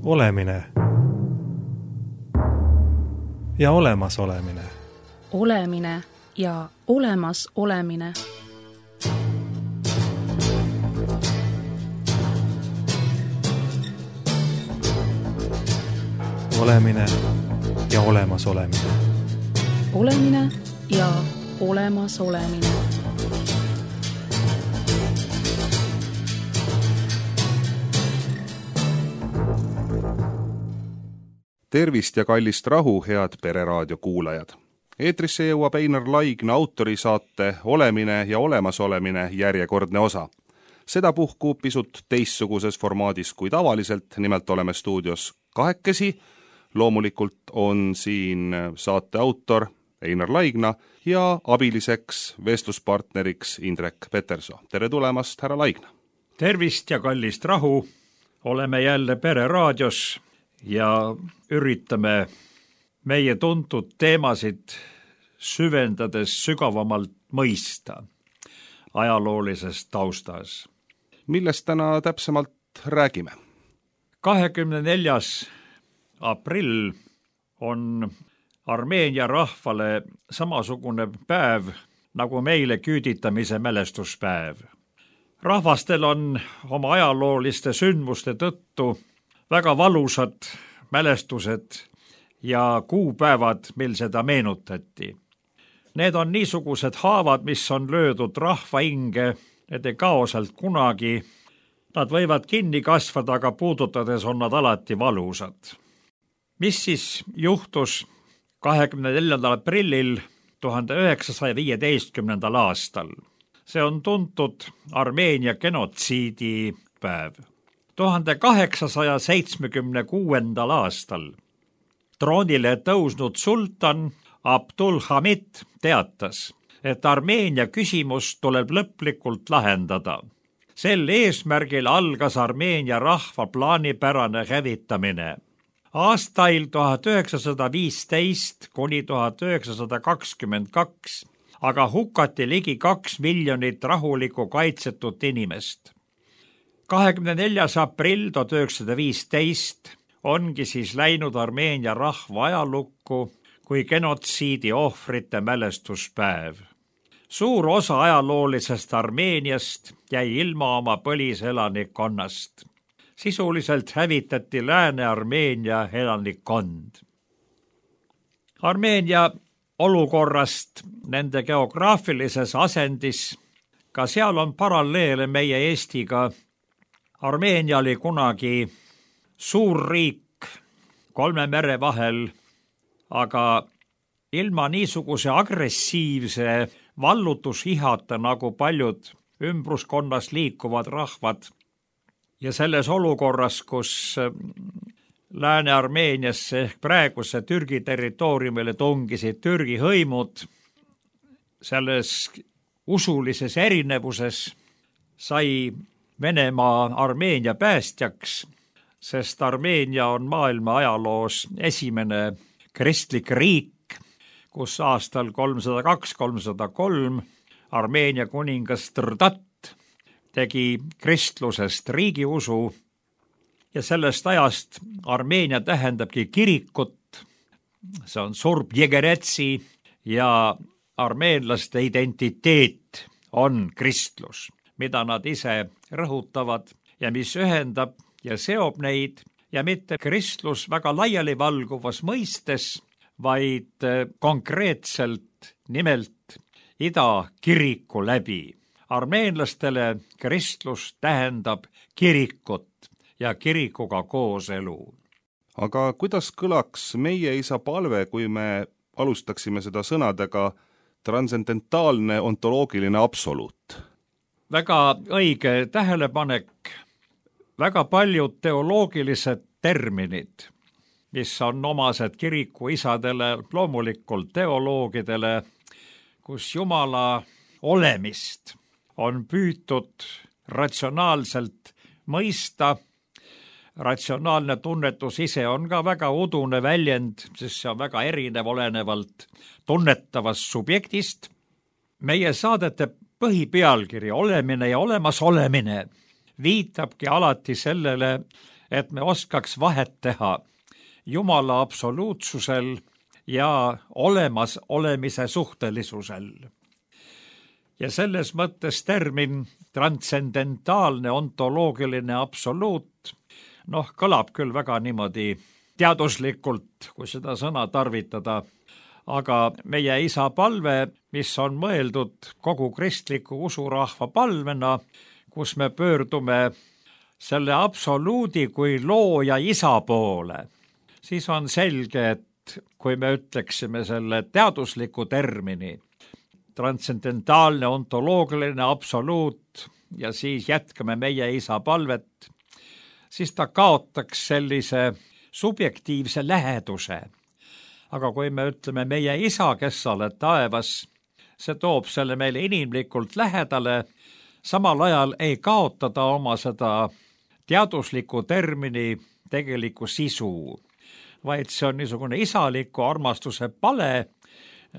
Olemine ja olemasolemine. Olemine ja olemasolemine. Olemine ja olemasolemine. Olemine ja olemasolemine. Tervist ja kallist rahu, head Pereraadio kuulajad! Eetrisse jõuab Einar Laigna autorisaate Olemine ja olemasolemine järjekordne osa. Sedapuhku pisut teistsuguses formaadis kui tavaliselt, nimelt oleme stuudios kahekesi. Loomulikult on siin saate autor Einar Laigna ja abiliseks vestluspartneriks Indrek Peterson. Tere tulemast, härra Laigna! Tervist ja kallist rahu! Oleme jälle Pereraadios ja üritame meie tuntud teemasid süvendades sügavamalt mõista ajaloolises taustas. Millest täna täpsemalt räägime? 24. aprill on Armeenia rahvale samasugune päev nagu meile küüditamise mälestuspäev. Rahvastel on oma ajalooliste sündmuste tõttu väga valusad mälestused ja kuupäevad, mil seda meenutati. Need on niisugused haavad, mis on löödud rahva hinge, need ei kao sealt kunagi. Nad võivad kinni kasvada, aga puudutades on nad alati valusad. Mis siis juhtus 24. aprillil 1915. aastal? See on tuntud Armeenia genotsiidi päev. 1876. aastal troonile tõusnud sultan Abdulhamid teatas, et Armeenia küsimus tuleb lõplikult lahendada. Sel eesmärgil algas Armeenia rahva plaanipärane hävitamine. Aastail 1915 kuni 1922 aga hukati ligi 2 miljonit rahulikku kaitsetut inimest. 24. aprill 1915 ongi siis läinud Armeenia rahva ajalukku kui genotsiidi ohvrite mälestuspäev. Suur osa ajaloolisest Armeeniast jäi ilma oma põliselanikkonnast. Sisuliselt hävitati Lääne-Armeenia elanikkond. Armeenia olukorrast nende geograafilises asendis, ka seal on paralleele meie Eestiga. Armeenia oli kunagi suur riik 3 mere vahel, aga ilma niisuguse agressiivse vallutushihata nagu paljud ümbruskonnas liikuvad rahvad. Ja selles olukorras, kus Lääne-Armeeniasse ehk praeguse Türgi territooriumile tungisid Türgi hõimud, selles usulises erinevuses sai Venemaa Armeenia päästjaks, sest Armeenia on maailma ajaloos esimene kristlik riik, kus aastal 302-303 Armeenia kuningas Trdat tegi kristlusest riigiusu ja sellest ajast Armeenia tähendabki kirikut. See on Surb Jegeretsi ja armeenlaste identiteet on kristlus, mida nad ise rõhutavad ja mis ühendab ja seob neid ja mitte kristlus väga laialivalguvas mõistes, vaid konkreetselt nimelt ida kiriku läbi. Armeenlastele kristlus tähendab kirikut ja kirikuga kooselu. Aga kuidas kõlaks meie isa palve, kui me alustaksime seda sõnadega transcendentaalne ontoloogiline absoluut? Väga õige tähelepanek. Väga paljud teoloogilised terminid, mis on omased kirikuisadele, loomulikult teoloogidele, kus Jumala olemist on püütud ratsionaalselt mõista. Ratsionaalne tunnetus ise on ka väga udune väljend, sest see on väga erinev olenevalt tunnetavast subjektist. Meie saadete põhipealkiri Olemine ja olemasolemine viitabki alati sellele, et me oskaks vahet teha Jumala absoluutsusel ja olemas olemise suhtelisusel. Ja selles mõttes termin transcendentaalne ontoloogiline absoluut, kõlab küll väga niimoodi teaduslikult, kui seda sõna tarvitada, aga meie isa palve, mis on mõeldud kogu kristliku usurahva palvena, kus me pöördume selle absoluudi kui looja isa poole, siis on selge, et kui me ütleksime selle teadusliku termini, transcendentaalne ontoloogiline absoluut ja siis jätkame meie isa palvet, siis ta kaotaks sellise subjektiivse läheduse. Aga kui me ütleme meie isa, kes sa oled taevas, see toob selle meile inimlikult lähedale, samal ajal ei kaotada oma seda teadusliku termini tegelikku sisu, vaid see on niisugune isaliku armastuse pale,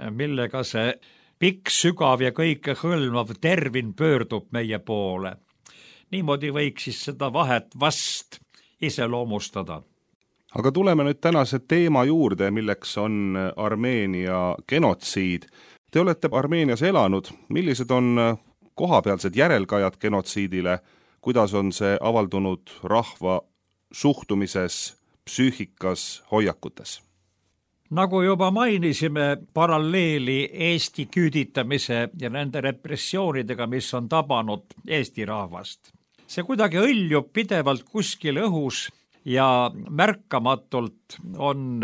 millega see pikk, sügav ja kõike hõlmav termin pöördub meie poole. Niimoodi võiks siis seda vahet vast iseloomustada. Aga tuleme nüüd tänase teema juurde, milleks on Armeenia genotsiid. Te olete Armeenias elanud. Millised on kohapealsed järelkajad genotsiidile? Kuidas on see avaldunud rahva suhtumises, psüühikas, hoiakutes? Nagu juba mainisime, paralleeli Eesti küüditamise ja nende repressioonidega, mis on tabanud Eesti rahvast. See kuidagi õljub pidevalt kuskil õhus ja märkamatult on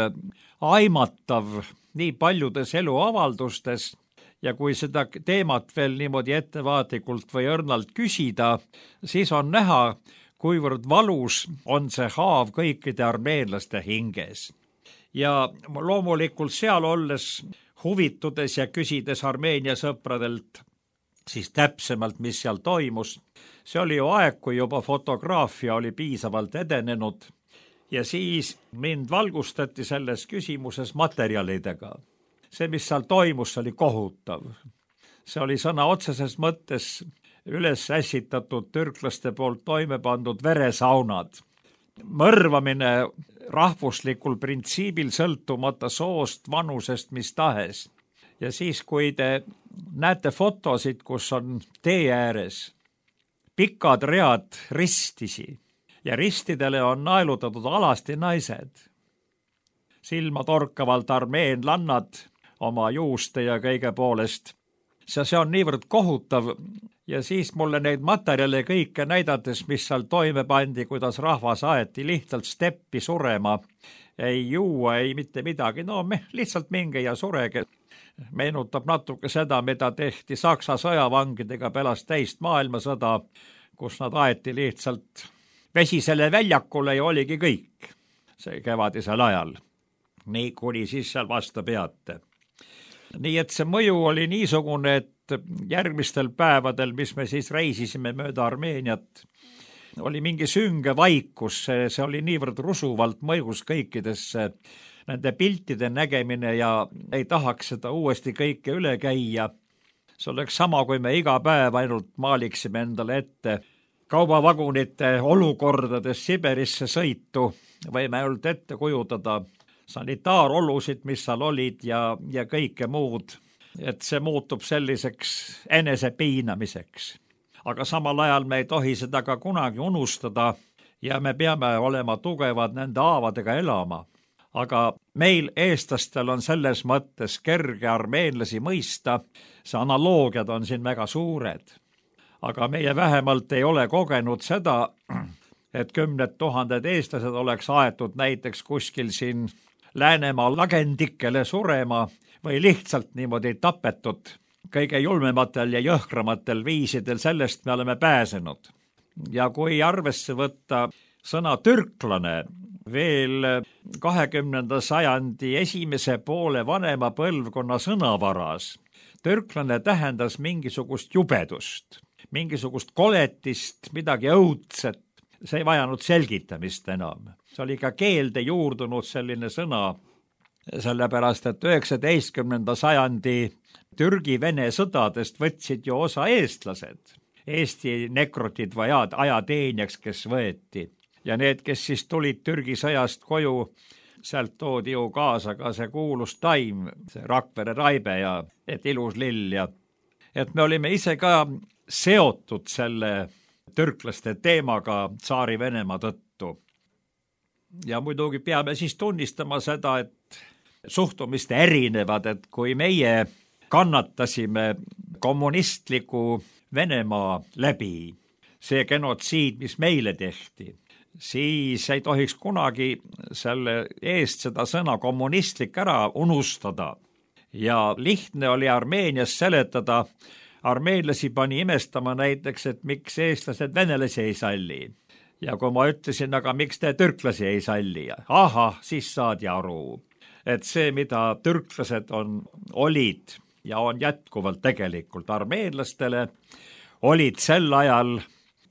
aimatav nii paljudes eluavaldustes ja kui seda teemat veel niimoodi ettevaatlikult või õrnalt küsida, siis on näha, kuivõrd valus on see haav kõikide armeenlaste hinges. Ja loomulikult seal olles huvitudes ja küsides Armeenia sõpradelt siis täpsemalt, mis seal toimus. See oli ju aeg, kui juba fotograafia oli piisavalt edenenud ja siis mind valgustati selles küsimuses materjalidega. See, mis seal toimus, oli kohutav. See oli sõna otseses mõttes üles ässitatud türklaste poolt toime pandud veresaunad. Mõrvamine rahvuslikul printsiibil sõltumata soost, vanusest, mis tahes. Ja siis, kui te näete fotosid, kus on tee ääres pikad read ristisi ja ristidele on naelutatud alasti naised, silmatorkavalt armeenlannad oma juuste ja kõige poolest. See on niivõrd kohutav ja siis mulle neid materjale kõike näidates, mis seal toime pandi, kuidas rahvas aeti lihtsalt steppi surema, ei juua, ei mitte midagi, lihtsalt minge ja surege. Meenutab natuke seda, mida tehti Saksa sõjavangidega pärast teist maailmasõda, kus nad aeti lihtsalt vesisele väljakule ja oligi kõik see kevadisel ajal. Nii kuni siis seal vastu peate. Nii et see mõju oli niisugune, et järgmistel päevadel, mis me siis reisisime mööda Armeeniat, oli mingi sünge vaikus, see oli niivõrd rusuvalt mõjus kõikidesse nende piltide nägemine ja ei tahaks seda uuesti kõike üle käia. See oleks sama, kui me iga päev ainult maaliksime endale ette kaubavagunite olukordades Siberisse sõitu, võime ainult ette kujutada sanitaarolusid, mis seal olid ja kõike muud, et see muutub selliseks enesepiinamiseks. Aga samal ajal me ei tohi seda ka kunagi unustada ja me peame olema tugevad nende haavadega elama. Aga meil eestlastel on selles mõttes kerge armeenlasi mõista, see analoogiad on siin väga suured. Aga meie vähemalt ei ole kogenud seda, et 10 000 eestlased oleks aetud näiteks kuskil siin Läänemaa lagendikele surema või lihtsalt niimoodi tapetud kõige julmematel ja jõhkramatel viisidel, sellest me oleme pääsenud. Ja kui arvesse võtta sõna türklane veel 20. sajandi esimese poole vanema põlvkonna sõnavaras, türklane tähendas mingisugust jubedust, mingisugust koletist, midagi õudset. See ei vajanud selgitamist enam. See oli ka keelde juurdunud selline sõna, sellepärast et 19. sajandi Türgi-Vene sõdadest võtsid ju osa eestlased, Eesti nekrotid või ajateenjaks, kes võeti. ja need, kes siis tulid Türgi sõjast koju, sealt toodi ju kaasa ka see kuulus taim, see Rakvere raibe ja et ilus lill ja et me olime ise ka seotud selle türklaste teemaga Tsaari-Venemaa tõttu. Ja muidugi peame siis tunnistama seda, et suhtumist erinevad, et kui meie kannatasime kommunistliku Venemaa läbi, see genotsiid, mis meile tehti, siis ei tohiks kunagi selle eest seda sõna kommunistlik ära unustada. Ja lihtne oli Armeenias seletada, armeenlasi pani imestama näiteks, et miks eestlased venelasi ei salli. Ja kui ma ütlesin, aga miks te türklasi ei salli? Ahah, siis saadi aru, et see, mida türklased olid ja on jätkuvalt tegelikult armeenlastele, olid sel ajal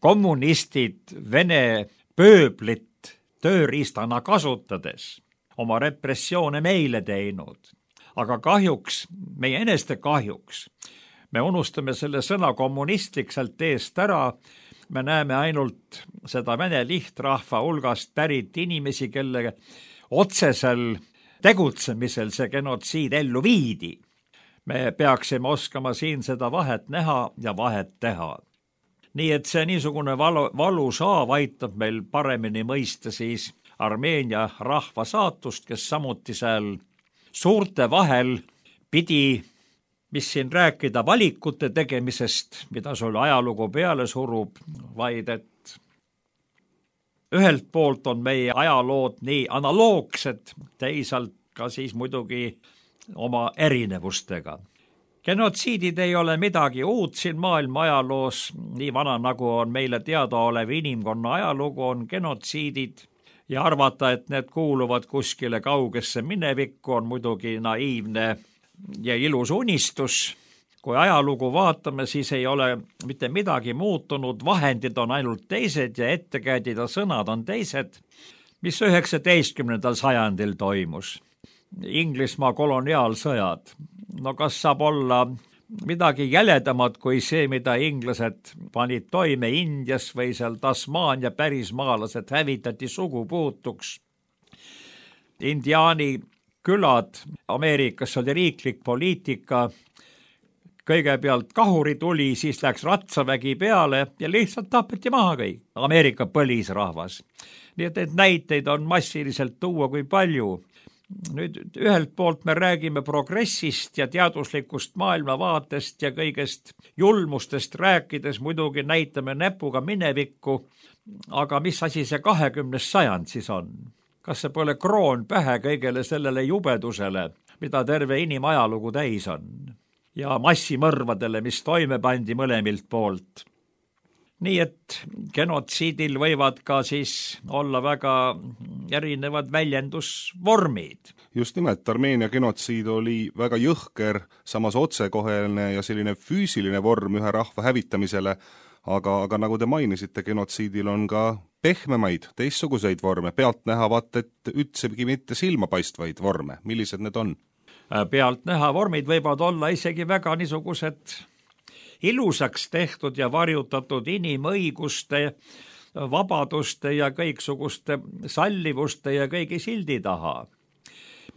kommunistid Vene pööblit tööriistana kasutades oma repressioone meile teinud. Aga kahjuks, meie eneste kahjuks, me unustame selle sõna kommunistlik sealt eest ära, me näeme ainult seda vene lihtrahva hulgast pärit inimesi, kelle otsesel tegutsemisel see genotsiid ellu viidi. Me peaksime oskama siin seda vahet näha ja vahet teha. Nii et see niisugune valusaav aitab meil paremini mõista siis Armeenia rahva saatust, kes samuti seal suurte vahel pidi, mis siin rääkida valikute tegemisest, mida sul ajalugu peale surub, vaid et ühelt poolt on meie ajalood nii analoogsed, teisalt ka siis muidugi oma erinevustega. Genotsiidid ei ole midagi uut siin maailma ajaloos, nii vana nagu on meile teadaolev inimkonna ajalugu, on genotsiidid ja arvata, et need kuuluvad kuskile kaugesse minevikku, on muidugi naiivne ja ilus unistus. Kui ajalugu vaatame, siis ei ole mitte midagi muutunud, vahendid on ainult teised ja ettekäidid ja sõnad on teised, mis 19. sajandil toimus. Inglismaa koloniaalsõjad. No kas saab olla midagi jäledamat kui see, mida inglased panid toime Indias või seal Tasmaania pärismaalased hävitati sugupuutuks. Indiaani külad, Ameerikas oli riiklik poliitika, kõigepealt kahuri tuli, siis läks ratsavägi peale ja lihtsalt tapeti maha kõik, Ameerika põlisrahvas. Nii et näiteid on massiliselt tuua kui palju. Nüüd ühelt poolt me räägime progressist ja teaduslikust maailmavaatest ja kõigest julmustest rääkides muidugi näitame näpuga minevikku, aga mis asi see 20. sajand siis on? Kas see pole kroon pähe kõigele sellele jubedusele, mida terve inimajalugu täis on? Ja massimõrvadele, mis toime pandi mõlemilt poolt. Nii et genotsiidil võivad ka siis olla väga erinevad väljendusvormid. Just nimelt, Armeenia genotsiid oli väga jõhker, samas otsekoheline ja selline füüsiline vorm ühe rahva hävitamisele, aga nagu te mainisite, genotsiidil on ka pehmemaid, teistsuguseid vorme, pealtnäha vaat, et ütsegi mitte silmapaistvaid vorme. Millised need on? Pealtnäha vormid võivad olla isegi väga niisugused ilusaks tehtud ja varjutatud inimõiguste, vabaduste ja kõiksuguste sallivuste ja kõigi sildi taha.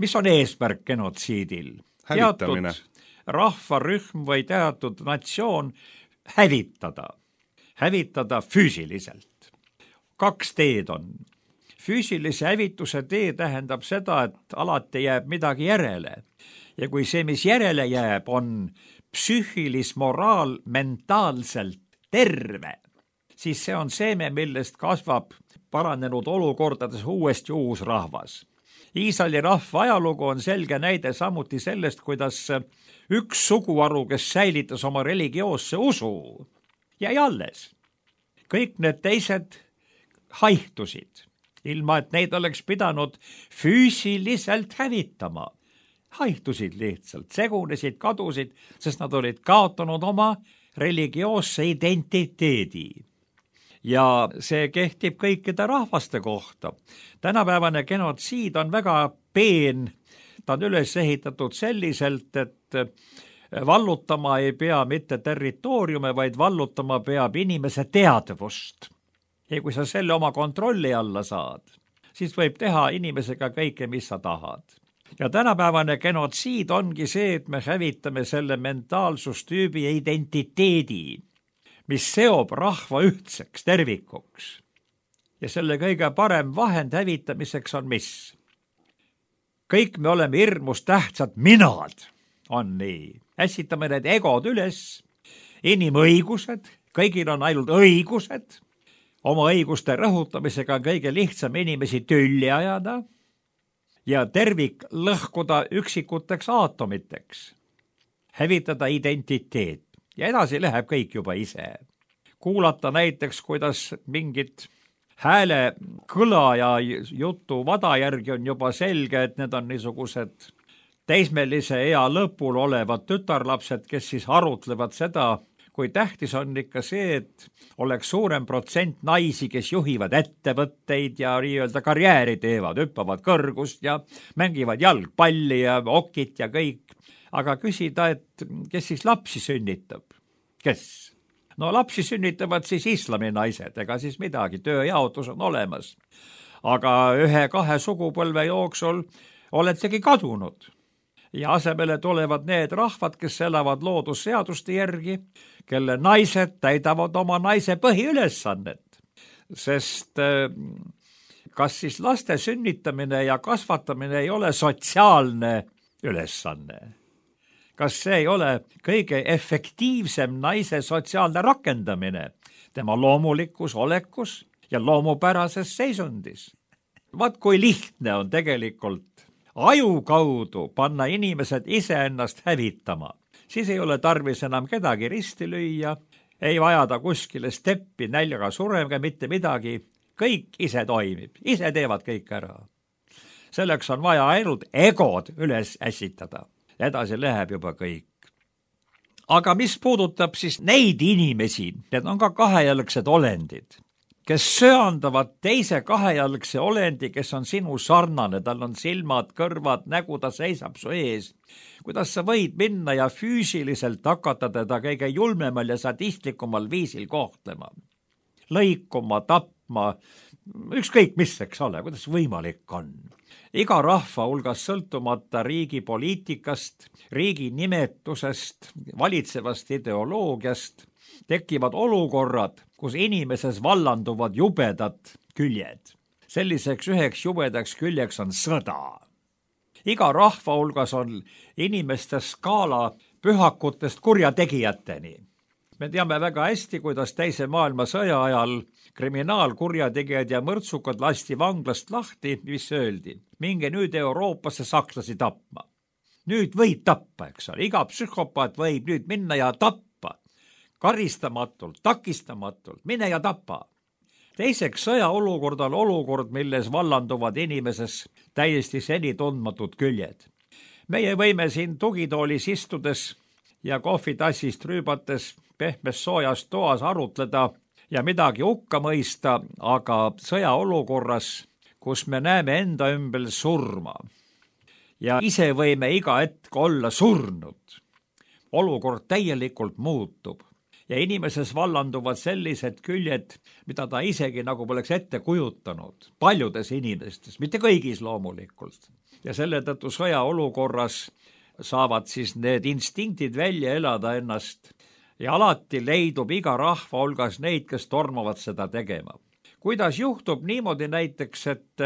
Mis on eesmärk genotsiidil? Hävitamine. Teatud rahvarühm või teatud natsioon hävitada. Hävitada füüsiliselt. 2 teed on. Füüsilise hävituse tee tähendab seda, et alati jääb midagi järele. Ja kui see, mis järele jääb, on psüühilis moraal mentaalselt terve, siis see on seeme, millest kasvab paranenud olukordades uuesti uus rahvas. Iisraeli rahva ajalugu on selge näide samuti sellest, kuidas üks suguharu, kes säilitas oma religioosse usu, jäi alles. Kõik need teised haihtusid, ilma et neid oleks pidanud füüsiliselt hävitama. Haihtusid lihtsalt, segunesid, kadusid, sest nad olid kaotanud oma religioosse identiteedi. Ja see kehtib kõikide rahvaste kohta. Tänapäevane genotsiid on väga peen, ta on üles ehitatud selliselt, et vallutama ei pea mitte territooriume, vaid vallutama peab inimese teadvust. Ja kui sa selle oma kontrolli alla saad, siis võib teha inimesega kõike, mis sa tahad. Ja tänapäevane genotsiid ongi see, et me hävitame selle mentaalsustüübi identiteedi, mis seob rahva ühtseks tervikuks. Ja selle kõige parem vahend hävitamiseks on mis? Kõik me oleme hirmus tähtsad minad, on nii. Ässitame need egod üles, inimõigused, kõigil on ainult õigused, oma õiguste rõhutamisega on kõige lihtsam inimesi tülli ajada ja tervik lõhkuda üksikuteks aatomiteks, hävitada identiteet ja edasi läheb kõik juba ise. Kuulata näiteks, kuidas mingit hääle kõla ja jutu vada järgi on juba selge, et need on niisugused teismelise ea lõpul olevad tütarlapsed, kes siis arutlevad seda, kui tähtis on ikka see, et oleks suurem protsent naisi, kes juhivad ettevõtteid ja nii-öelda karjääri teevad, hüppavad kõrgust ja mängivad jalgpalli ja okit ja kõik. Aga küsida, et kes siis lapsi sünnitab? Kes? No lapsi sünnitavad siis islami naised, ega siis midagi, tööjaotus on olemas. Aga 1-2 sugupõlve jooksul oletegi kadunud. Ja asemele tulevad need rahvad, kes elavad loodusseaduste järgi, kelle naised täidavad oma naise põhiülesannet. Sest kas siis laste sünnitamine ja kasvatamine ei ole sotsiaalne ülesanne? Kas see ei ole kõige efektiivsem naise sotsiaalne rakendamine tema loomulikus olekus ja loomupärases seisundis? Vaat kui lihtne on tegelikult aju kaudu panna inimesed iseennast hävitama. Siis ei ole tarvis enam kedagi risti lüüa, ei vajada kuskile steppi näljaga suremega mitte midagi. Kõik ise toimib, ise teevad kõik ära. Selleks on vaja ainult egod üles ässitada. Edasi läheb juba kõik. Aga mis puudutab siis neid inimesi, need on ka kahejalgsed olendid, kes söandavad teise kahejalgse olendi, kes on sinu sarnane, tal on silmad, kõrvad, nägu, ta seisab su ees. Kuidas sa võid minna ja füüsiliselt hakata teda kõige julmemal ja sadistlikumal viisil kohtlema? Lõikuma, tapma, ükskõik mis, eks ole, kuidas võimalik on? Iga rahva hulgas sõltumata riigi poliitikast, riigi nimetusest, valitsevast ideoloogiast tekivad olukorrad, kus inimeses vallanduvad jubedad küljed. Selliseks üheks jubedaks küljeks on sõda. Iga rahva hulgas on inimeste skaala pühakutest kurjategijateni. Me teame väga hästi, kuidas teise maailmasõja ajal kriminaalkurjategijad ja mõrtsukad lasti vanglast lahti, mis öeldi. Minge nüüd Euroopasse sakslasi tapma. Nüüd võid tappa, eks ole. Iga psühhopaat võib nüüd minna ja tappa. Karistamatult, takistamatult, mine ja tapa. Teiseks, sõjaolukord on olukord, milles vallanduvad inimeses täiesti seni tundmatud küljed. Meie võime siin tugitoolis istudes ja kohvitassist rüübates pehmes soojas toas arutleda ja midagi hukka mõista, aga sõjaolukorras, kus me näeme enda ümber surma ja ise võime iga hetk olla surnud, olukord täielikult muutub ja inimeses vallanduvad sellised küljed, mida ta isegi nagu poleks ette kujutanud. Paljudes inimestes, mitte kõigis loomulikult. Ja selle tõttu sõjaolukorras saavad siis need instinktid välja elada ennast ja alati leidub iga rahva hulgas neid, kes tormavad seda tegema. Kuidas juhtub niimoodi näiteks, et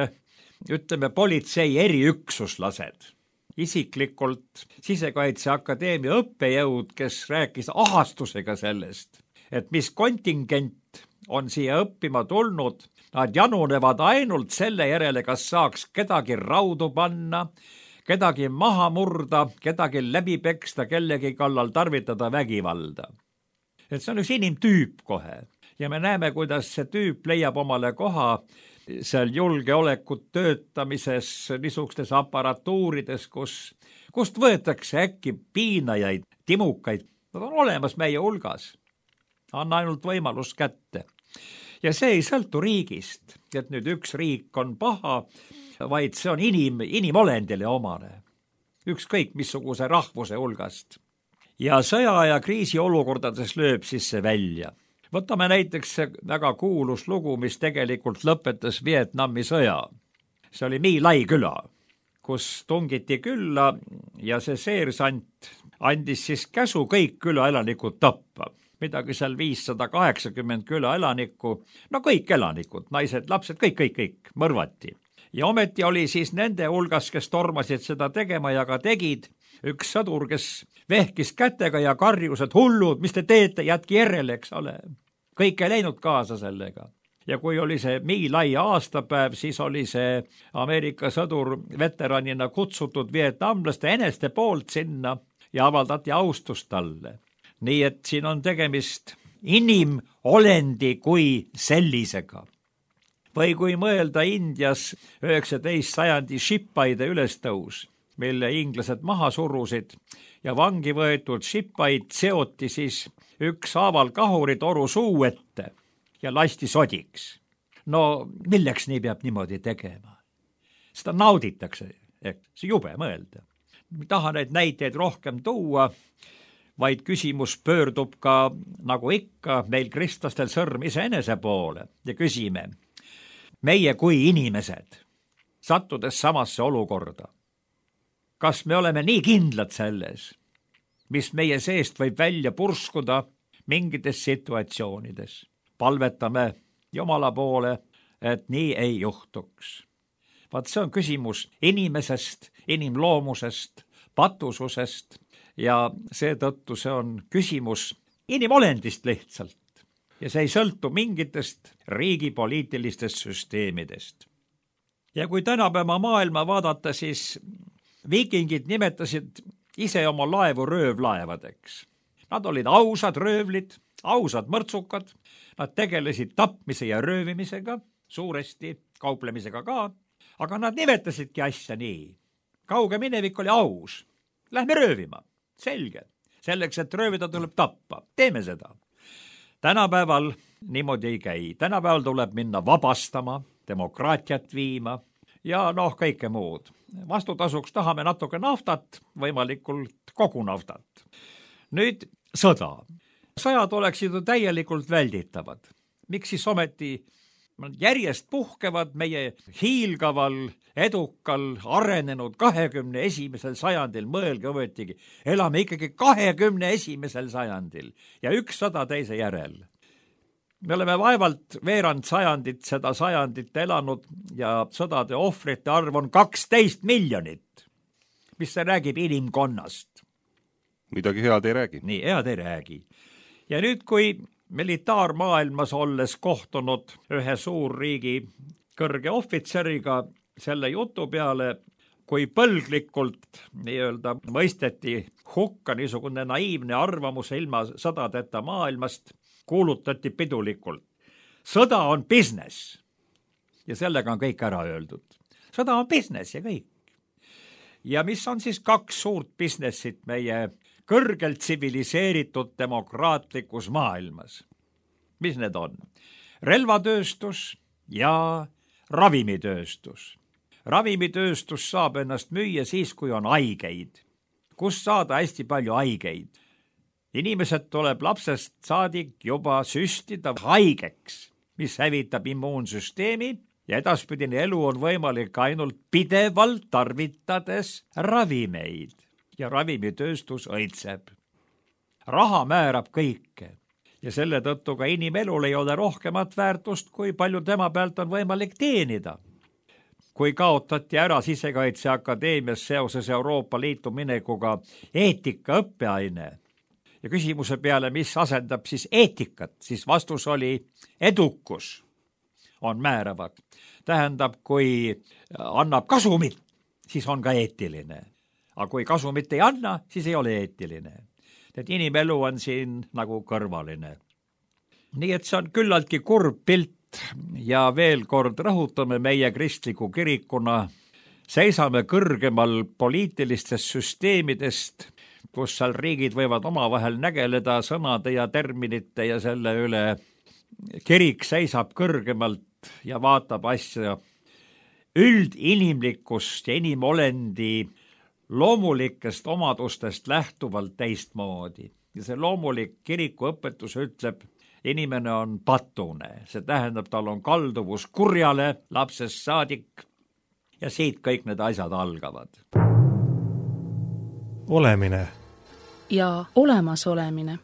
ütleme politsei eriüksuslased, isiklikult Sisekaitseakadeemia õppejõud, kes rääkis ahastusega sellest, et mis kontingent on siia õppima tulnud, nad janunevad ainult selle järele, kas saaks kedagi raudu panna, kedagi maha murda, kedagi läbi peksta, kellegi kallal tarvitada vägivalda. Et see on üks inimtüüp kohe ja me näeme, kuidas see tüüp leiab omale koha seal julgeolekut töötamises, niisugustes aparatuurides, kust võetakse äkki piinajaid, timukaid. Nad on olemas meie hulgas. Anna ainult võimalus kätte. Ja see ei sõltu riigist, et nüüd üks riik on paha, vaid see on inimolendile omane. Ükskõik missuguse rahvuse hulgast. Ja sõja ja kriisi olukordades lööb siis see välja. Võtame näiteks väga kuulus lugu, mis tegelikult lõpetas Vietnami sõja. See oli My Lai küla, kus tungiti külla ja see seersant andis siis käsu kõik külaelanikud tappa. Midagi seal 580 külaelanikku, no kõik elanikud, naised, lapsed, kõik mõrvati. Ja ometi oli siis nende hulgas, kes tormasid seda tegema ja ka tegid, üks sõdur, kes vehkis kätega ja karjus, et hullud, mis te teete, jätki järele, eks ole. Kõik ei läinud kaasa sellega. Ja kui oli see My Lai aastapäev, siis oli see Ameerika sõdur veteranina kutsutud vietnamlaste eneste poolt sinna ja avaldati austust talle. Nii et siin on tegemist inimolendi kui sellisega. Või kui mõelda Indias 19. sajandi šippaide ülestõus, mille inglased maha surusid ja vangi võetud šippaid seoti siis ükshaaval kahuritoru suu ette ja lasti sodiks. No milleks nii peab niimoodi tegema? Seda nauditakse, see jube mõelda. Ma tahan neid näiteid rohkem tuua, vaid küsimus pöördub ka, nagu ikka, meil kristlastel sõrm iseenese poole ja küsime, meie kui inimesed, sattudes samasse olukorda, kas me oleme nii kindlad selles, mis meie seest võib välja purskuda mingites situatsioonides. Palvetame Jumala poole, et nii ei juhtuks. Vaat see on küsimus inimesest, inimloomusest, patususest ja seetõttu see on küsimus inimolendist lihtsalt. Ja see ei sõltu mingitest riigi poliitilistest süsteemidest. Ja kui tänapäeva maailma vaadata, siis viikingid nimetasid ise oma laevu röövlaevadeks. Nad olid ausad röövlid, ausad mõrtsukad, nad tegelesid tapmise ja röövimisega, suuresti kauplemisega ka, aga nad nimetasidki asja nii. Kauge minevik oli aus. Lähme röövima. Selge. Selleks, et röövida, tuleb tappa. Teeme seda. Tänapäeval niimoodi ei käi. Tänapäeval tuleb minna vabastama, demokraatiat viima ja kõike muud. Vastutasuks tahame natuke naftat, võimalikult kogu naftat. Nüüd sõda. Sõjad oleksid ju täielikult välditavad. Miks siis ometi järjest puhkevad meie hiilgaval, edukal, arenenud 21. sajandil, mõelge ometigi, elame ikkagi 21. sajandil ja 100 teise järel. Me oleme vaevalt veerand sajandit seda sajandit elanud ja sõdade ohvrite arv on 12 miljonit. Mis see räägib inimkonnast? Midagi head ei räägi. Nii, head ei räägi. Ja nüüd, kui militaarmaailmas olles kohtunud ühe suurriigi kõrge ohvitseriga selle jutu peale, kui põlglikult nii-öelda mõisteti hukka niisugune naiivne arvamus ilma sõdadeta maailmast, kuulutati pidulikult. Sõda on business. Ja sellega on kõik ära öeldud. Sõda on business ja kõik. Ja mis on siis 2 suurt businessit meie kõrgelt tsiviliseeritud demokraatlikus maailmas? Mis need on? Relvatööstus ja ravimitööstus. Ravimitööstus saab ennast müüa siis, kui on haigeid. Kust saada hästi palju haigeid? Inimesed tuleb lapsest saadik juba süstida haigeks, mis hävitab immuunsüsteemi ja edaspidine elu on võimalik ainult pidevalt tarvitades ravimeid. Ja ravimitööstus õitseb. Raha määrab kõike ja selle tõttu ka inimelul ei ole rohkemat väärtust, kui palju tema pealt on võimalik teenida. Kui kaotati ära Sisekaitseakadeemias seoses Euroopa Liitu minekuga eetika õppeaine ja küsimuse peale, mis asendab siis eetikat, siis vastus oli edukus on määravad. Tähendab, kui annab kasumit, siis on ka eetiline. Aga kui kasumit ei anna, siis ei ole eetiline. Et inimelu on siin nagu kõrvaline. Nii et see on küllaltki kurb pilt ja veel kord rõhutame meie kristliku kirikuna, seisame kõrgemal poliitilistest süsteemidest, kus seal riigid võivad omavahel nägeleda sõnade ja terminite ja selle üle. Kirik seisab kõrgemalt ja vaatab asja üldinimlikust ja inimolendi loomulikest omadustest lähtuvalt teistmoodi. Ja see loomulik kiriku õpetus ütleb, inimene on patune, see tähendab, tal on kalduvus kurjale lapsest saadik ja siit kõik need asjad algavad. Olemine ja olemasolemine.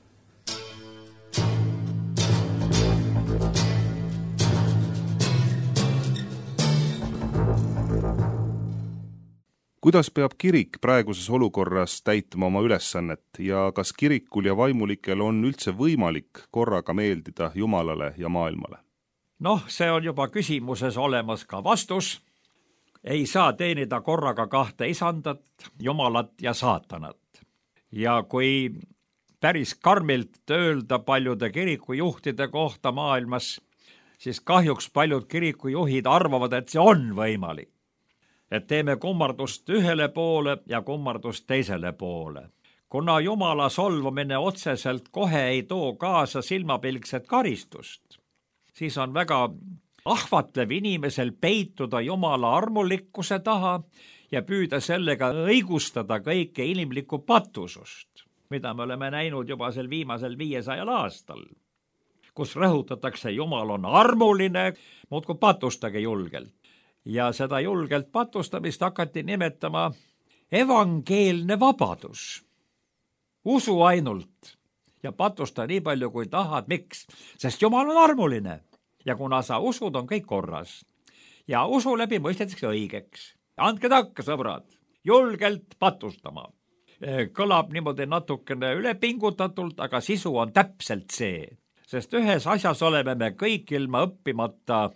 Kuidas peab kirik praeguses olukorras täitma oma ülesannet ja kas kirikul ja vaimulikel on üldse võimalik korraga meeldida Jumalale ja maailmale? Noh, see on juba küsimuses olemas ka vastus. Ei saa teenida korraga kahte isandat, Jumalat ja saatanat. Ja kui päris karmilt öelda paljude kirikujuhtide kohta maailmas, siis kahjuks paljud kirikujuhid arvavad, et see on võimalik. Et teeme kummardust ühele poole ja kummardust teisele poole. Kuna Jumala solvamine otseselt kohe ei too kaasa silmapilkset karistust, siis on väga ahvatlev inimesel peituda Jumala armulikkuse taha ja püüda sellega õigustada kõike inimlikku patusust, mida me oleme näinud juba sel viimasel 500 aastal, kus rõhutatakse, Jumal on armuline, muudkui patustage julgelt. Ja seda julgelt patustamist hakati nimetama evangeelne vabadus. Usu ainult ja patusta nii palju kui tahad. Miks? Sest Jumal on armuline ja kuna sa usud, on kõik korras. Ja usu läbi mõistetakse õigeks. Andke takka, sõbrad, julgelt patustama. Kõlab niimoodi natukene ülepingutatult, aga sisu on täpselt see. Sest ühes asjas oleme me kõik ilma õppimata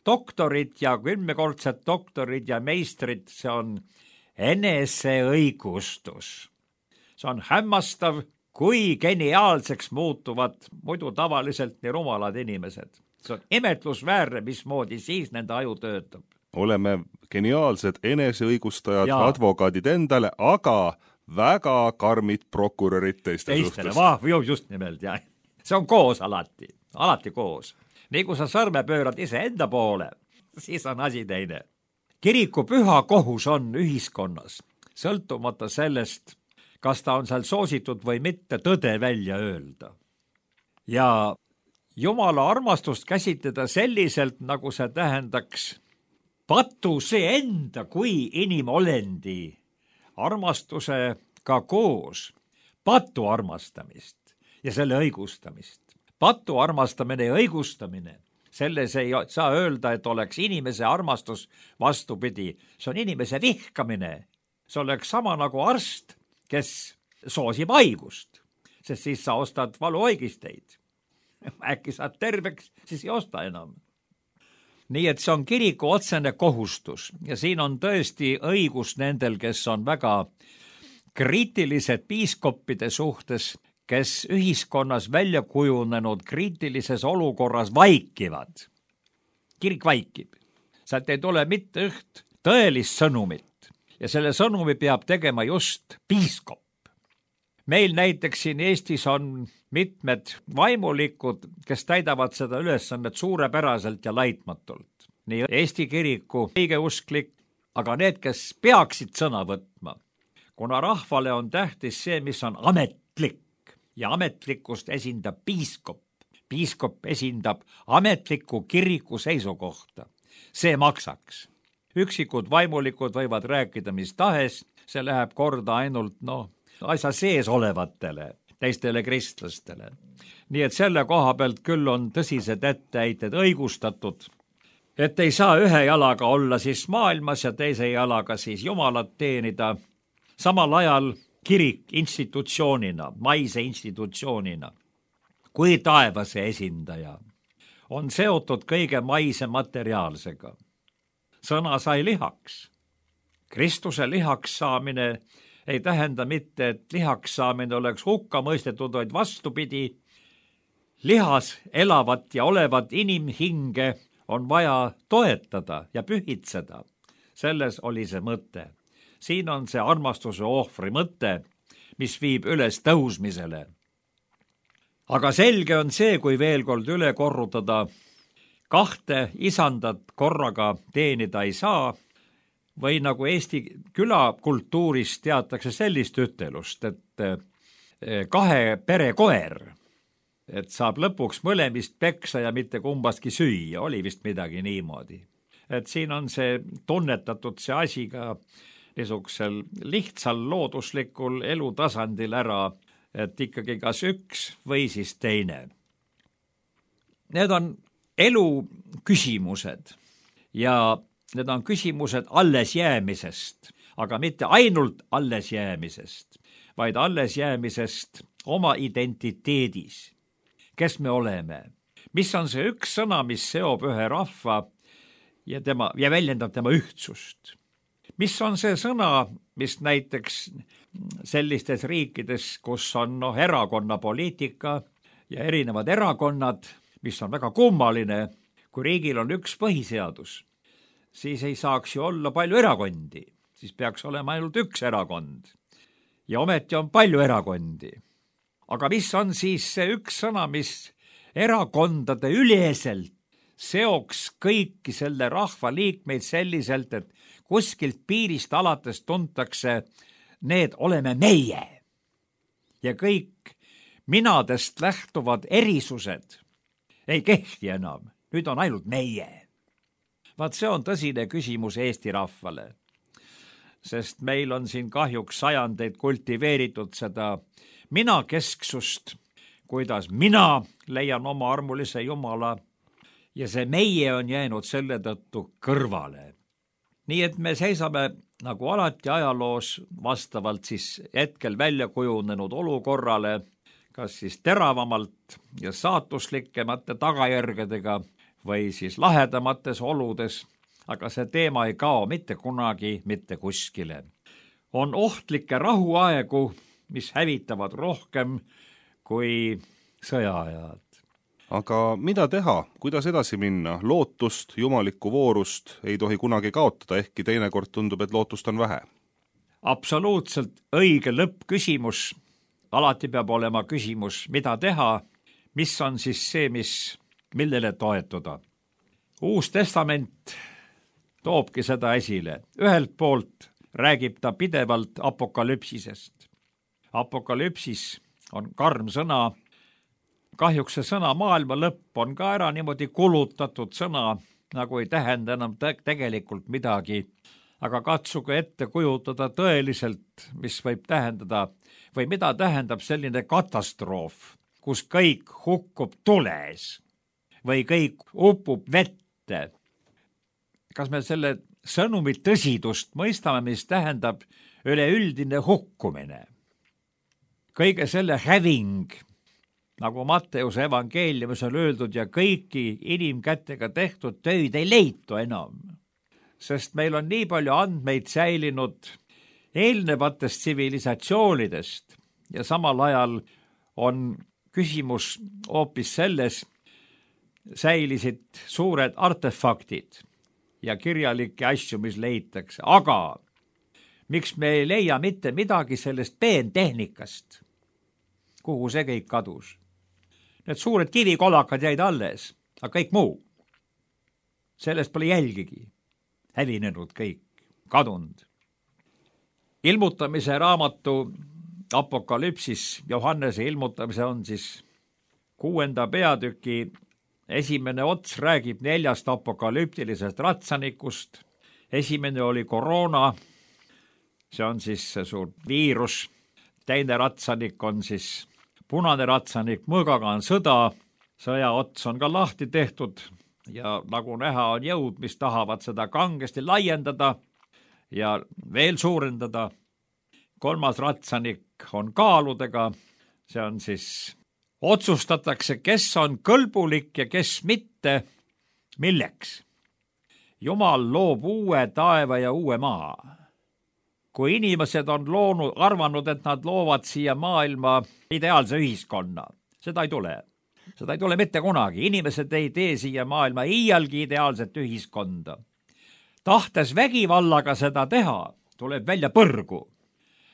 doktorid ja 10-kordsed doktorid ja meistrid, see on eneseõigustus. See on hämmastav, kui geniaalseks muutuvad muidu tavaliselt nii rumalad inimesed. See on imetlusväärne, mismoodi siis nende aju töötab. Oleme geniaalsed eneseõigustajad, advokaadid endale, aga väga karmid prokurörid teiste suhtes. Just nimelt, jah. See on koos alati koos. Nii kui sa sõrme pöörad ise enda poole, siis on asi teine. Kiriku püha kohus on ühiskonnas, sõltumata sellest, kas ta on seal soositud või mitte, tõde välja öelda. Ja Jumala armastust käsitleda selliselt, nagu see tähendaks patuse enda kui inimolendi armastusega koos patu armastamist ja selle õigustamist. Patu armastamine ja õigustamine, selles ei saa öelda, et oleks inimese armastus vastupidi. See on inimese vihkamine. See oleks sama nagu arst, kes soosib haigust, sest siis sa ostad valuoigisteid. Äkki saad terveks, siis ei osta enam. Nii et see on kiriku otsene kohustus ja siin on tõesti õigus nendel, kes on väga kriitilised piiskoppide suhtes, kes ühiskonnas välja kujunenud kriitilises olukorras vaikivad. Kirik vaikib. Sealt ei tule mitte üht tõelist sõnumit ja selle sõnumi peab tegema just piiskop. Meil näiteks siin Eestis on mitmed vaimulikud, kes täidavad seda ülesannet suurepäraselt ja laitmatult. Nii Eesti kiriku õigeusklik, aga need, kes peaksid sõna võtma, kuna rahvale on tähtis see, mis on ametlik. Ja ametlikkust esindab piiskop. Piiskop esindab ametliku kiriku seisukohta. See maksaks. Üksikud vaimulikud võivad rääkida mis tahes, see läheb korda ainult asja sees olevatele, teistele kristlastele. Nii et selle koha pealt küll on tõsised etteheited õigustatud, et ei saa ühe jalaga olla siis maailmas ja teise jalaga siis Jumalat teenida, samal ajal kirik institutsioonina, maise institutsioonina, kui taevase esindaja, on seotud kõige maise materiaalsega. Sõna sai lihaks. Kristuse lihaks saamine ei tähenda mitte, et lihaks saamine oleks hukka mõistetud, vaid vastupidi. Lihas elavat ja olevat inimhinge on vaja toetada ja pühitseda. Selles oli see mõte. Siin on see armastuse ohvri mõte, mis viib üles tõusmisele. Aga selge on see, kui veel kord üle korrutada, kahte isandat korraga teenida ei saa, või nagu Eesti külakultuuris teatakse sellist ütelust, et kahe pere koer et saab lõpuks mõlemist peksa ja mitte kumbastki süüa, oli vist midagi niimoodi. Et siin on see tunnetatud see asi ka niisugusel lihtsal looduslikul elutasandil ära, et ikkagi kas üks või siis teine. Need on elu küsimused ja need on küsimused allesjäämisest, aga mitte ainult allesjäämisest, vaid allesjäämisest oma identiteedis. Kes me oleme? Mis on see üks sõna, mis seob ühe rahva ja väljendab tema ühtsust? Mis on see sõna, mis näiteks sellistes riikides, kus on erakonnapoliitika ja erinevad erakonnad, mis on väga kummaline, kui riigil on üks põhiseadus, siis ei saaks ju olla palju erakondi, siis peaks olema ainult üks erakond. Ja ometi on palju erakondi. Aga mis on siis see üks sõna, mis erakondade üleselt seoks kõiki selle rahva liikmeid selliselt, et kuskilt piirist alates tuntakse, need oleme meie. Ja kõik minadest lähtuvad erisused ei kehti enam, nüüd on ainult meie. Vaat see on tõsine küsimus Eesti rahvale, sest meil on siin kahjuks sajandeid kultiveeritud seda minakesksust, kuidas mina leian oma armulise Jumala ja see meie on jäänud selle tõttu kõrvale. Nii et me seisame nagu alati ajaloos vastavalt siis hetkel välja kujunenud olukorrale, kas siis teravamalt ja saatuslikemate tagajärgedega või siis lahedamates oludes, aga see teema ei kao mitte kunagi mitte kuskile. On ohtlikke rahuaegu, mis hävitavad rohkem kui sõjaajad. Aga mida teha, kuidas edasi minna? Lootust, jumalikku voorust ei tohi kunagi kaotada, ehkki teinekord tundub, et lootust on vähe. Absoluutselt õige lõppküsimus. Alati peab olema küsimus, mida teha, mis on siis see, millele toetuda. Uus testament toobki seda esile. Ühelt poolt räägib ta pidevalt apokalüpsisest. Apokalüpsis on karm sõna. Kahjuks see sõna maailma lõpp on ka ära niimoodi kulutatud sõna, nagu ei tähenda enam tegelikult midagi. Aga katsuge ette kujutada tõeliselt, mis võib tähendada või mida tähendab selline katastroof, kus kõik hukkub tules või kõik upub vette. Kas me selle sõnumi tõsidust mõistame, mis tähendab üleüldine hukkumine? Kõige selle häving, nagu Matteuse evangeeliumis on öeldud, ja kõiki inimkätega tehtud töid ei leitu enam. Sest meil on nii palju andmeid säilinud eelnevatest tsivilisatsioonidest ja samal ajal on küsimus hoopis selles, säilisid suured artefaktid ja kirjalikke asju, mis leitakse. Aga miks me ei leia mitte midagi sellest peentehnikast? Kuhu see kõik kadus? Need suured kivikolakad jäid alles, aga kõik muu. Sellest pole jälgigi. Hävinenud kõik, kadunud. Ilmutamise raamatu Apokalüpsis, Johannese ilmutamise on siis 6. peatüki esimene ots räägib 4 apokalüptilisest ratsanikust. Esimene oli koroona, see on siis see suur viirus. Teine ratsanik on siis punane ratsanik, mõõgaga on sõda. Sõja ots on ka lahti tehtud. Ja nagu näha on jõud, mis tahavad seda kangesti laiendada ja veel suurendada. 3. ratsanik on kaaludega, see on siis, otsustatakse, kes on kõlbulik ja kes mitte, milleks. Jumal loob uue taeva ja uue maa. Kui inimesed on arvanud, et nad loovad siia maailma ideaalse ühiskonna, seda ei tule. Seda ei tule mitte kunagi. Inimesed ei tee siia maailma iialgi ideaalset ühiskonda. Tahtes vägivallaga seda teha, tuleb välja põrgu.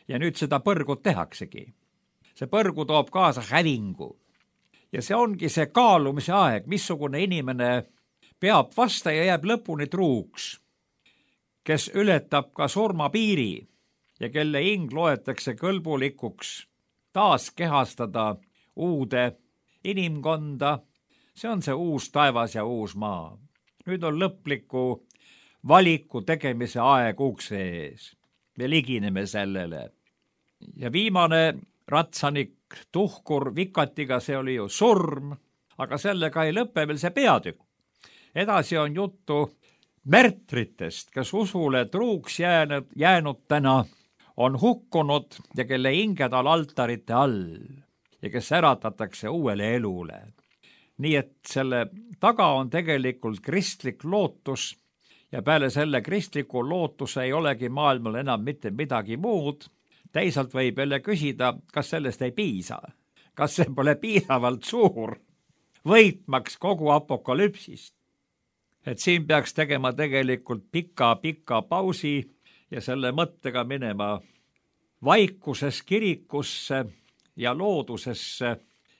Ja nüüd seda põrgut tehaksegi. See põrgu toob kaasa hävingu. Ja see ongi see kaalumise aeg, missugune inimene peab vasta ja jääb lõpuni truuks, kes ületab ka surmapiiri ja kelle hing loetakse kõlbulikuks taas kehastada uude inimkonda. See on see uus taevas ja uus maa. Nüüd on lõpliku valiku tegemise aeg ukse ees. Me ligineme sellele. Ja viimane ratsanik tuhkur vikatiga, see oli ju surm, aga sellega ei lõpe veel see peatükk. Edasi on juttu märtritest, kes usule truuks jäänud täna, on hukkunud ja kelle hinged on altarite all ja kes äratatakse uuele elule. Nii et selle taga on tegelikult kristlik lootus ja peale selle kristliku lootuse ei olegi maailmal enam mitte midagi muud. Teisalt võib jälle küsida, kas sellest ei piisa, kas see pole piisavalt suur, võitmaks kogu apokalüpsist. Et siin peaks tegema tegelikult pika pausi ja selle mõttega minema vaikuses kirikusse ja loodusesse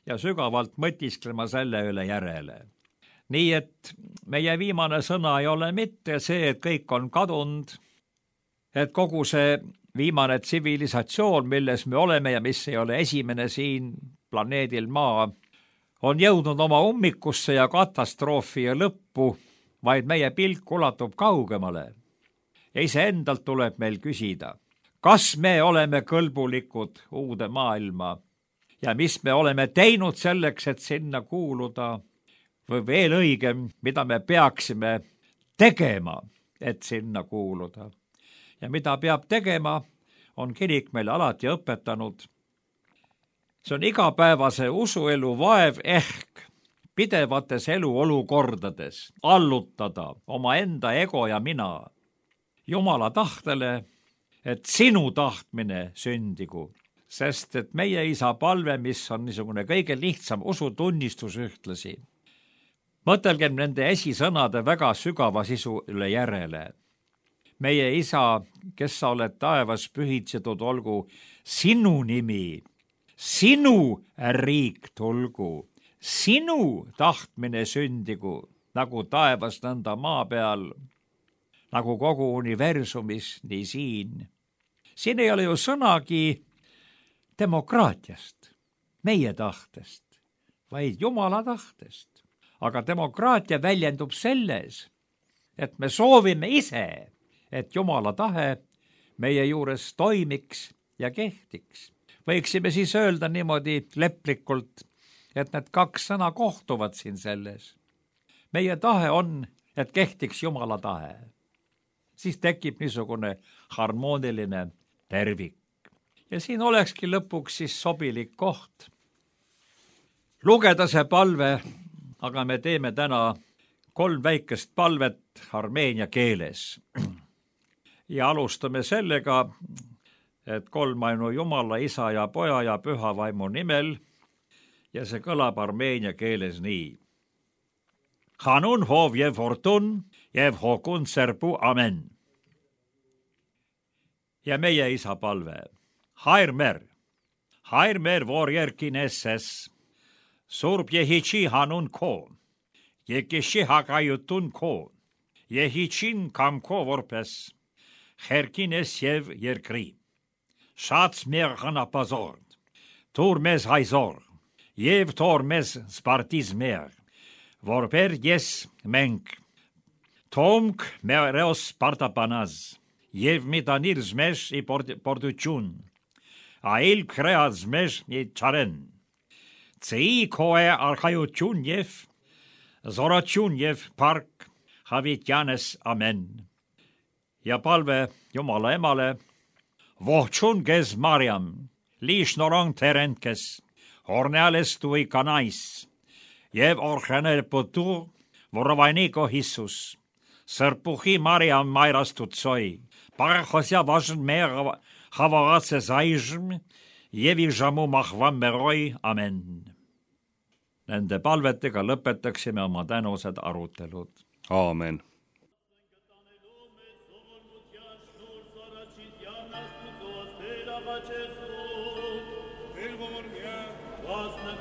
ja sügavalt mõtisklema selle üle järele. Nii et meie viimane sõna ei ole mitte see, et kõik on kadunud, et kogu see viimane tsivilisatsioon, milles me oleme ja mis ei ole esimene siin planeedil Maa, on jõudnud oma ummikusse ja katastroofi ja lõppu, vaid meie pilk ulatub kaugemale. Ja iseendalt tuleb meil küsida, kas me oleme kõlbulikud uude maailma ja mis me oleme teinud selleks, et sinna kuuluda, või veel õigem, mida me peaksime tegema, et sinna kuuluda. Ja mida peab tegema, on kirik meile alati õpetanud. See on igapäevase usuelu vaev ehk pidevates eluolukordades allutada oma enda ego ja mina Jumala tahtele, et sinu tahtmine sündigu. Sest et meie isa palve, mis on niisugune kõige lihtsam usutunnistus ühtlasi. Mõtelgem nende esisõnade väga sügava sisu üle järele. Meie isa, kes sa oled taevas pühitsetud, olgu sinu nimi, sinu riik tulgu, sinu tahtmine sündigu, nagu taevas nõnda maa peal, nagu kogu universumis, nii siin. Siin ei ole ju sõnagi demokraatiast, meie tahtest, vaid Jumala tahtest. Aga demokraatia väljendub selles, et me soovime ise, et Jumala tahe meie juures toimiks ja kehtiks. Võiksime siis öelda niimoodi leplikult, et need kaks sõna kohtuvad siin selles. Meie tahe on, et kehtiks Jumala tahe. Siis tekib niisugune harmooniline tervik. Ja siin olekski lõpuks siis sobilik koht lugeda see palve, aga me teeme täna 3 väikest palvet armeenia keeles. Ja alustame sellega, et kolmainu Jumala, Isa ja Poja ja Püha Vaimu nimel ja see kõlab armeenia keeles nii. Hanun hov jev hortun, jev hokun serpu, amen. Ja meie isa palve. Hairmer vorjerkinesses, surb jehitsi hanun ko, jekishi hakajutun ko, jehitsin kamko vorpes, herkines jev jerkri. Šats mer hanapazor, turmes haizor, jev tormes spartiz mer, vorper jes menk, tomk mereos spartapanaz, jev mitanirzmes i pordučun, a il kreazmes i čaren. Cei koe arhajutjunjev, zoratjunjev park, havitjanes amen. Ja palve Jumala emale, vohtšunges Mariam, lišnorong terenkes, horneales tui kanais, jev orhene potu, vorovaniko Hissus, sărpuhi Mariam mairastut soi, parhosja važn mer havaratse zaizm, jevi žamu mahvam meroi, amen. Nende palvetega lõpetaksime oma tänused arutelud. Aamen. Vasna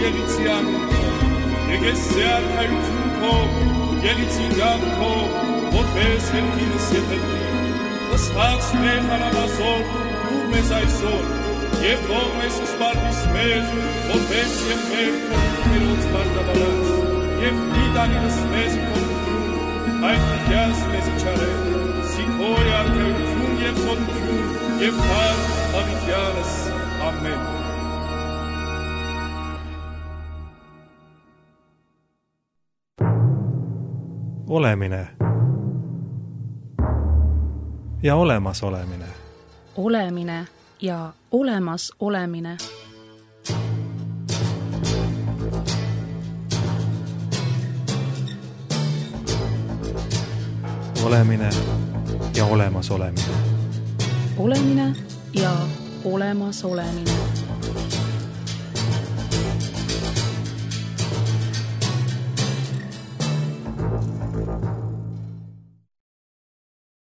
Geliziano, e che se arca il truco, Gelizianco, potesse sentire siete lì. Das Tags mecha na Masol, lume sei sol, je forme si sparti smes, potesse in merco, per uns sparta balans, je fidani das mesi con tu, ein fichias mesi ciare, si cori arca il trum, je son tu, je far avichianes. Amen. Olemine ja olemasolemine. Olemine ja olemas olemine. Olemine ja olemas olemine. Olemine ja olemas olemine.